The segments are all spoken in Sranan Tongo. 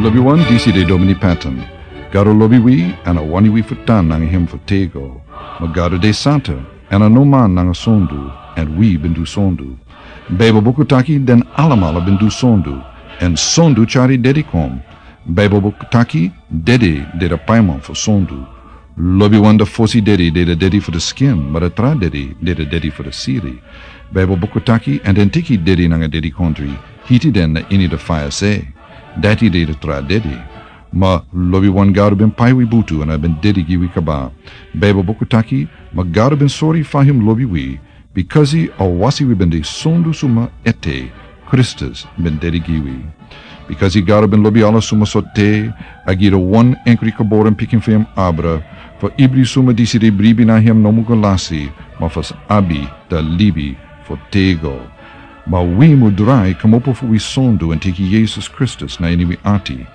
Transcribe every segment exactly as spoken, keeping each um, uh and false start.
Lobi wan, disi de Domini Patton. Gado lobi wi, èn a wani wi fu tan nanga hem fu tego. Ma Gado de santa, èn a no man nanga sondu, èn wi ben du sondu. Beibel buku taki den alamala ben du sondu, èn sondu tyari dedi kon. Beibel buku taki dedi de de paiman fu sondu. Lobi wan, de fosi dedi de de dedi fu de skin, ma de tra dedi de de dedi fu de siri. Beibel buku taki, èn den teki dedi nanga dedikondri, hiti den na ini de faya se. Dati de de tra dedi. Ma lobi wan, Gado ben pai wi butu èn a ben dedi gi wi kaba. Beibel buku taki, ma Gado ben sori fa hem lobi wi, bikasi a wasi wi ben de sondu suma ete, Kristus ben dedi gi wi. Bikasi Gado ben lobi ala suma so te, a gi de wan enkri geboren pikin fu hem abra, fu ibri suma disi de bribi na hem no mu go lasi, ma fu sa abi de libi fu tego. Ma wi mu drai kmopo fu wi sondu èn teki Yesus Kristus na ini wi ati.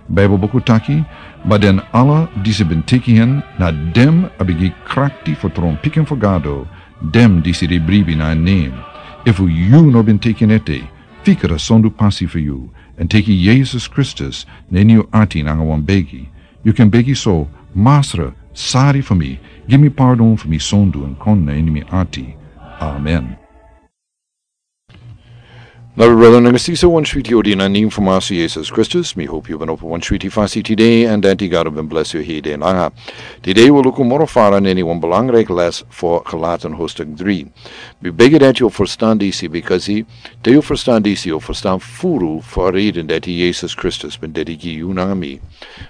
Beibel buku taki, ma den ala disi ben teki hen, na den a ben gi krakti fu tron pikin fu Gado, den disi de bribi na en nen. Efu yu no ben teki en ete, fikra sondu pasi fu yu, èn teki Yesus Kristus na ini yu ati nanga wan begi. Yu kan begi so: Masra, sari fu mi, gi mi pardon fu mi sondu èn kon na ini mi ati. Amen. Lobi brada nanga sisa, wan switi odi na nen fu Masra Yesus Kristus. Mi hopi yu ben opo wan switi fasi tide, èn dati Gado ben blesi yu heri nanga. Tide wi luku moro fara na ini wan belangrijk les fu Galaten hoofdstuk drie. Mi begi dati yu ferstan disi, bikasi te yu ferstan disi, yu ferstan furu fu a reden dati Yesus Kristus ben dedi gi yu nanga mi.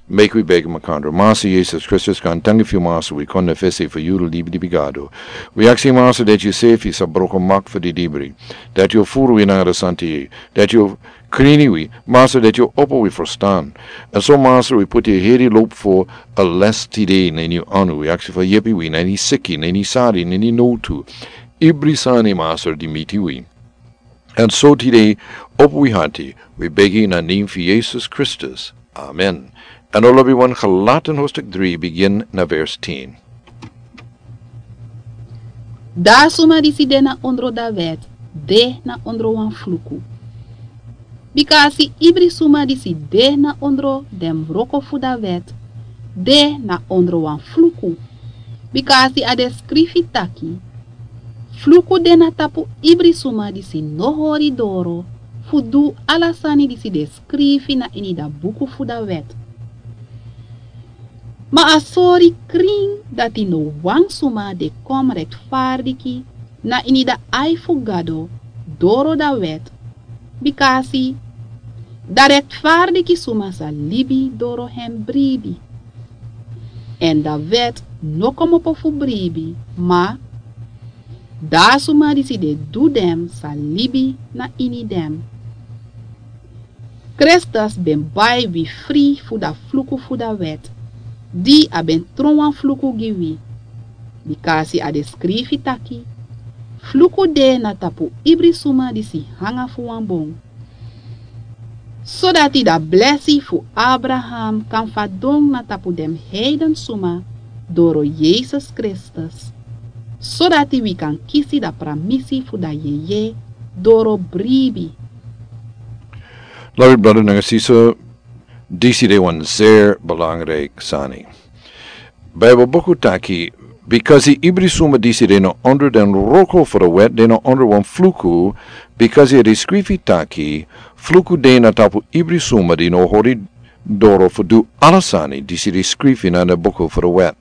Meki wi begi makandra. Masra Yesus Kristus, gaantangi fu yu, Masra, wi kon na fesi fu yu, libi, libi Gado. Wi aksi, Masra, dati yu sefi sa broko mak fu didibri. Dati yu furu wi nanga de santa yeye. Dati yu krini wi, Masra, dati yu opo wi ferstan. Èn so, Masra, wi poti heri lobi fu a les tide na ini yu anu. Wi aksi fu yepi wi na ini seki, na ini sari, na ini nowtu. Ibri sani, Masra, di miti wi. Èn so tide, opo wi hati, wi begi na nen fu Yesus Kristus. Amen. Èn lobi wan, Galaten hoofdstuk drie, begin na vers tien. Da suma disi de na ondro da wet, de na ondro wan fluku. Bikasi ibri suma disi de na ondro den wroko fu da wet, de na ondro wan fluku. Bikasi a de skrifi taki: Fluku de na tapu ibri suma disi no hori doro fu du ala sani disi de skrifi na ini da buku fu da wet. Ma a sori krin dati no wan suma de kon retifardiki na ini da ai fu Gado doro da wet, bikasi da retifardiki suma sa libi doro hen bribi. Èn da wet no kmopo fu bribi, ma da suma disi de du den sa libi na ini den. Kristus ben bai wi fri fu da fluku fu da wet, di a ben tron wan fluku gi wi. Bikasi a de skrifi taki: Fluku de na tapu ibri suma disi hanga fu wan bon. Sodati da blesi fu Abraham kan fadon na tapu den heiden suma doro Yesus Kristus, sodati wi kan kisi da pramisi fu da yeye doro bribi. Lobi brada nanga sisa, disi de wan zeer belangrijk sani. Bijbel buku taki, bikasi ibri suma disi de na onder den wroko fu de wet, de na onder wan fluku, bikasi a de skrifi taki: Fluku de na tapu ibri suma di no hori doro fu du ala sani disi de skrifi na de buku fu de wet.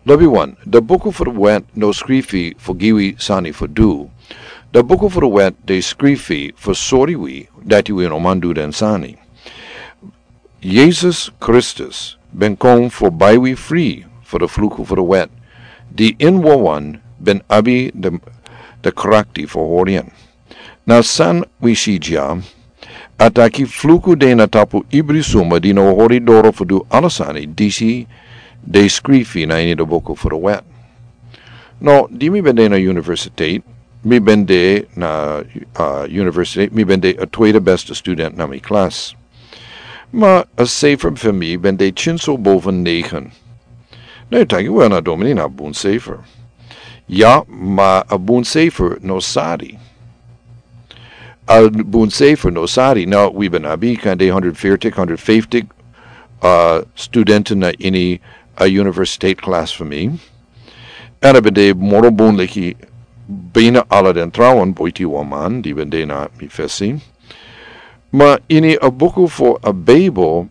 Lobi wan, de buku fu de wet no skrifi fu gi wi sani fu du. De buku fu de wet de skrifi fu sori wi dati wi no man du den sani. Yesus Kristus ben kon fu bai wi fri fu de fluku fu de wet, di ini wawan ben abi de, de krakti fu hori en. Na san wi si dya, a taki: Fluku de na tapu ibri suma di no hori doro fu du ala sani disi de skrifi na ini de buku fu de wet. No, di mi ben de na universiteit, mi ben de na, uh, universiteit, mi ben de a tweede beste student na mi klas. Ma a cijfer fu mi ben de kinso boven negen. No, yu taki: Wel, na domini, na bun cijfer. Ya, ma a bun cijfer no sari. A bun sefer no sari. Now, wi ben abi kande hundred fifty, hundred fifty, uh, student na ini a university class for me. And a ben de moro bun leki bina ala den trawan boiti wan man, di ben de na mi fesi. Ma ini a buku for a Bible,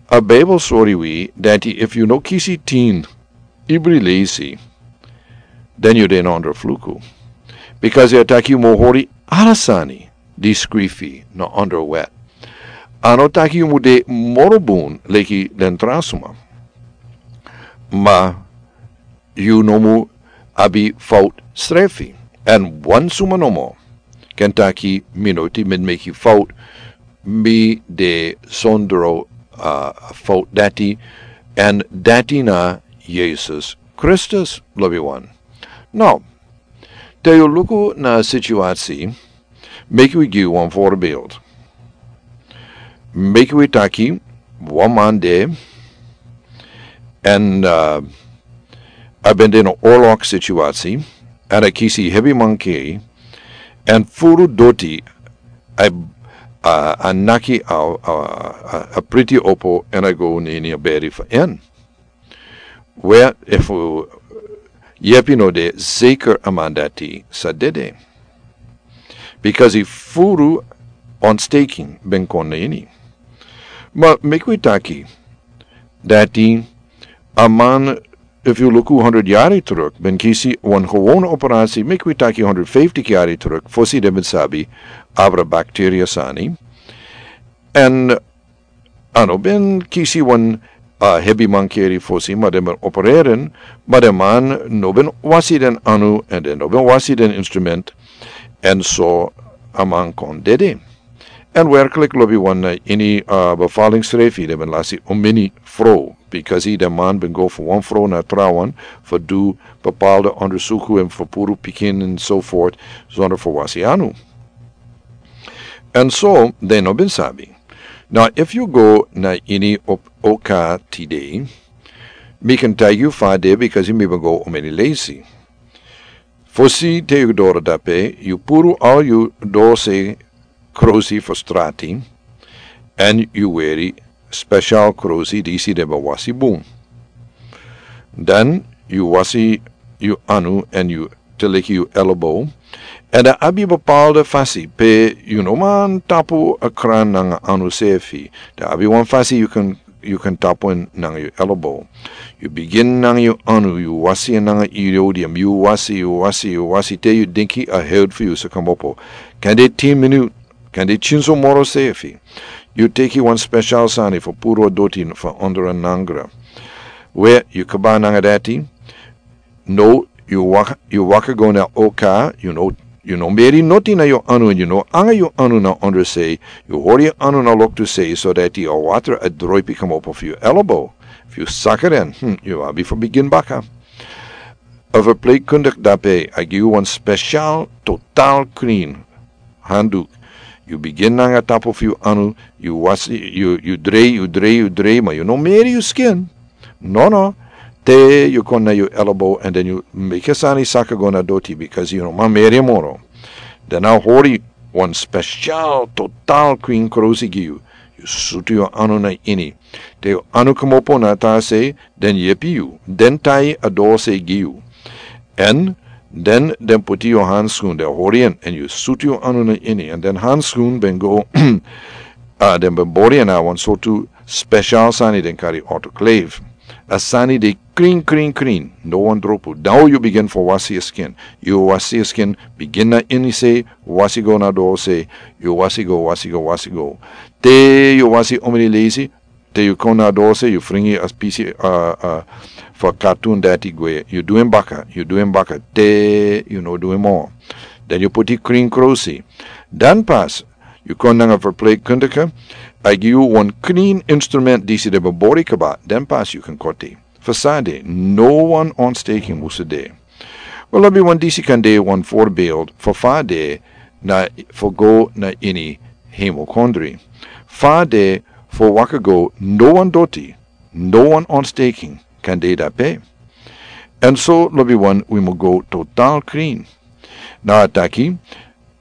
a Bible sori wi, dati if you no kisi tin, ibri leisi, then you de na under fluku. Because a taki yu mo hori ala sani, di skrifi na under wet. A no taki yu mu de moro bun leki den tra suma. Ma yu no mu abi fout srefi. En wan suma nomo kan taki mi no ti men meki fout, mi de sondro, uh, fout dati, en dati na Jesus Christus, lobi wan. Now, te yu luku na situasi, meki wi gi wan voorbeeld. Meki wi taki wan man de, en, uh, a ben de na oorlog situasi, en a kisi hebi mankeri, en furu doti, a, a, a naki a, a, a, a priti opo, en a go nini a beri for en. Where if yepi no de zeker a man dati sa dede. Because a furu ontsteking ben kon na ini. Ma meki wi taki dati a man, if you look hundred yari terug, ben kisi wan gewone operatie, meki wi taki hundred fifty yari terug, fosi den ben sabi abra bacteria sani. En a no ben kisi wan, uh, hebi mankeri fosi, ma den ben opereren, ma den man no ben wasi den anu, en den no ben wasi den instrument, en so a man kon dede. En werkelijk lobi wan, uh, ini, uh, bevallingsrefi, den ben lasi omini fro, because den man ben go for wan fro na trawan, for du bepaalde ondersuku en for puru pikin en so voort, zonder for wasi anu. En so, den no ben sabi. Now, if you go na ini op oka today, mi kan tell you fa de because mi ben go omeni lazy. Fosi te yu doro dape, yu puru al yu dose krosi for strati, en yu weri special krosi disi den ben wasi bun. Dan yu wasi yu anu en yu te leki yu ellebow. En dan abi bepaalde fasi pe yu no man tapu a kran nanga anu sefi. Dan abi wan fasi yu kan, yu kan tapu en nanga yu ellebow. Yu begin nanga yu anu, yu wasi en nanga iodium, yu wasi, yu wasi, yu wasi, te yu denki a head fu yu sa komopo. Kande tin minut, kande tin so moro sefi. Yu teki wan special sani for puru a doti for under a nangra. We yu kaba nanga dati, no, yu waka, yu waka go na oka, yu no, yu no meri noti na yu anu, yu no anga yu anu na under sei, yu hori yu anu na loktu sei, so dati a water a droipi komopo for yu ellebow. Fu yu saka den, hmm, yu abi for begin baka. A verpleegkundig dape, a gi yu wan special total clean handdoek. Yu begin nanga tapu fu yu anu, yu wasi, yu, yu drei, yu drei, yu drei, ma yu no meri yu skin. No, no. Te yu kon na yu ellebow, en dan yu meki sani saka go na doti, because yu no man meri moro. Dan a hori wan special total clean krosi gi yu. Yu sutu yu anu na ini. Te yu anu komopo na ta sei, den yepi yu, den tai a dose gi yu. En den, den puti yu handschoen, den hori en, en yu sutu yu anu na ini, en den handschoen ben go, a den ben bori en a wan sortu special sani den kari autoclave. A sani de clean, clean, clean, no wan dropu. Dan yu begin for wasi yu skin. Yu wasi yu skin, begin na ini sei, wasi go na dose, yu wasi go, wasi go, wasi go. Te yu wasi omini lazy, te yu kon na dose, yu fringi a pisi, a, a, for katun dati gwe. Yu du en baka, yu du en baka, te yu no du en moro. Dan yu puti clean krosi. Dan pas, yu kon nanga verpleegkundige, a gi yu wan clean instrument disi den ben bori kaba. Dan pas yu kan koti. Fa san de, no wan ontsteking musu de. Wel, lobi wan disi kan de wan voorbeeld fa fa de na for go na ini hemochondrie. Fa de for waka go no wan doti, no wan ontsteking kan de dape. En so lobi wan wi mu go total clean. Na a taki,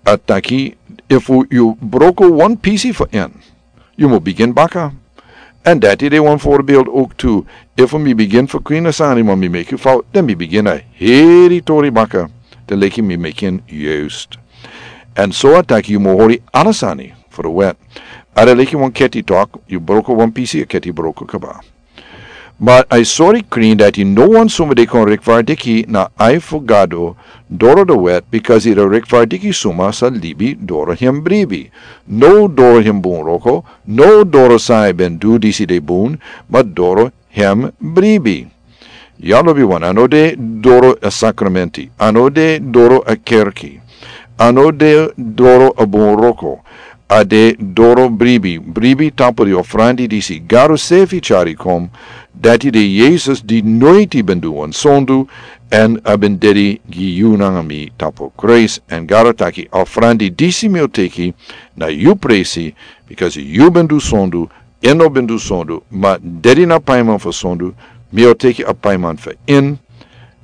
a taki Efu yu broko wan pisi fu en, yu mus bigin baka. Èn dati de wan voorbeeld ook tu. Efu mi bigin fu kwina sani, ma mi meki fout, dan mi bigin a heri tori baka. Dan leki mi meki en juist. Èn so a taki yu mus hori ala sani fu de wet. A de leki wan keti tok, yu broko wan pisi, a keti broko kaba. Ma a e sori krin dati no wan suma de kon rechtvaardig na ai fu Gado doro de wet, because yu de rechtvaardig suma sa libi doro hem bribi. No doro hem bun wroko, no doro san a ben du disi de bun, ma doro hem bribi. Ya lobi wan, a no de doro a sakramenti, a no de doro a kerki, a no de doro a bun wroko, a de doro bribi, bribi tapu di ofrandi disi Gado sefi tyari kon, dati de Yesus di noiti ben du wan sondu, èn a ben dede gi yu nanga mi tapu kruis, èn Gado taki a ofrandi disi mi o teki na yu presi, because yu ben du sondu, en no ben du sondu, ma dede na paiman fu sondu, mi o teki a paiman fu en,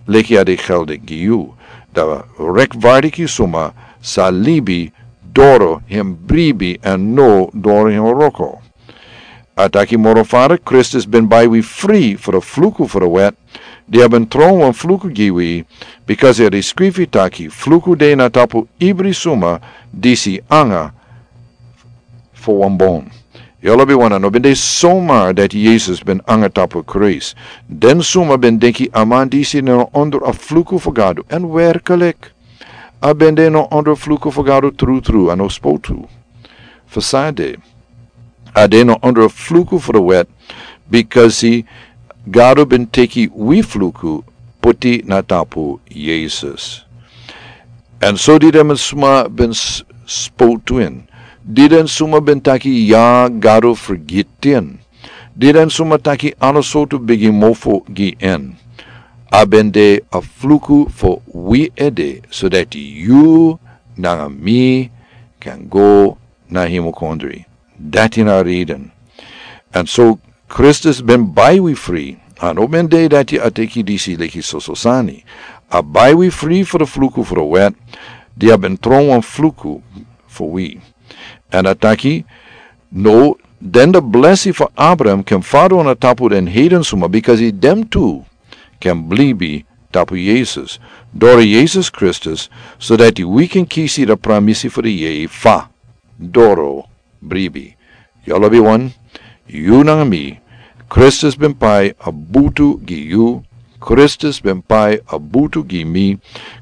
leki a de geldig gi yu. Da rechtvaardig suma sa libi doro hem bribi èn no doro hem wroko. A taki moro fara, Kristus ben bai wi fri fu de fluku fu de wet, di a ben tron wan fluku gi wi, because a de skrifi taki fluku de na tapu ibri suma disi anga fu wan bon. Ya lobi wan, a no ben de somar dati Yesus ben anga tapu kruis. Den suma ben denki a man disi no onder a fluku fu Gado, èn werkelijk, a ben de no onder fluku fu Gado trutru, a no spotu. Fu san a de, a de no onder fluku fu de wet, because Gado ben teki wi fluku, puti na tapu Yesus. Èn so di den suma ben s-, spotu en, di den suma ben taki ya Gado fergiti en, di den suma taki ala sortu bigi mofo gi en, a ben de a fluku fu wi ede, so dati yu nanga mi kan go na hemel kondre. Dati na a reden. Èn so Kristus ben bai wi fri. A no ben de dati a teki disi leki soso sani. A bai wi fri fu de fluku fu de wet, di a ben tron wan fluku fu wi. Èn a taki, no, den de blesi fu Abraham kan fadon na tapu den heiden suma, because den tu kan blibi tapu Yesus, doro Yesus Kristus, so dati wi kan kisi de pramisi fu de yeye fa doro bribi. Ya lobi wan, yu nanga mi, Kristus ben pai a butu gi yu, Kristus ben pai a butu gi mi,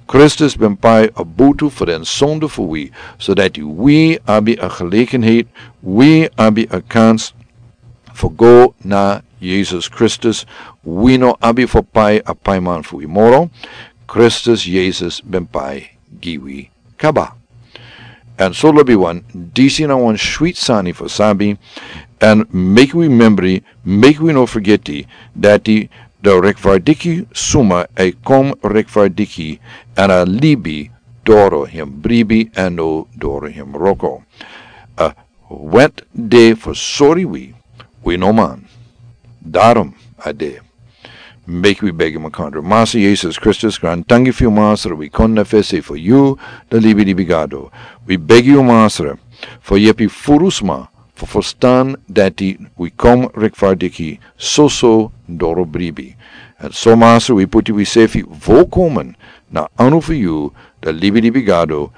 Kristus ben pai a butu fu den sondu fu wi, so dati wi abi a gelegenheid, wi abi a kans fu go na Yesus Kristus, wi no abi fu pai a paiman fu wi moro, Kristus Yesus ben pai gi wi kaba. Èn so lobi wan, disi na wan switi sani fu sabi, èn meki wi membri, meki wi no fergiti, dati de rechtvaardig suma e kon rechtvaardig, èn a libi doro hem bribi èn no doro hem wroko. A wet de fu sori wi, wi no man. Daarom a de. Meki wi begi makandra. Masra Yesus Kristus, grantangi fu yu Masra, wi kon na fesi fu yu, de libi di bigado. Wi begi yu Masra, fu yepi furu sma, fu ferstan dati wi kon rechtvaardig soso doro bribi. Èn so Masra, wi puti wi sefi volkomen na anu fu yu, de libi di bigado,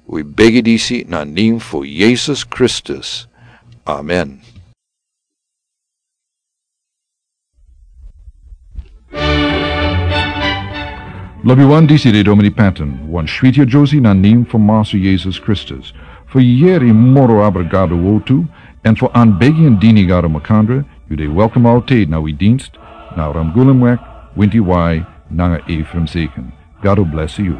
wi begi disi na nen fu Yesus Kristus. Amen. Lobi wan, disi de Domini Patton, wan switi a Josie na nen fu Masra Yesus Kristus. Fu yeri moro abra Gado wortu, èn fu anbegi èn dini Gado makandra, yu de welkom altijd na wi dienst, na Ramgulumweg, winti wai, nanga Ephraim Zeken. Gado blesi yu.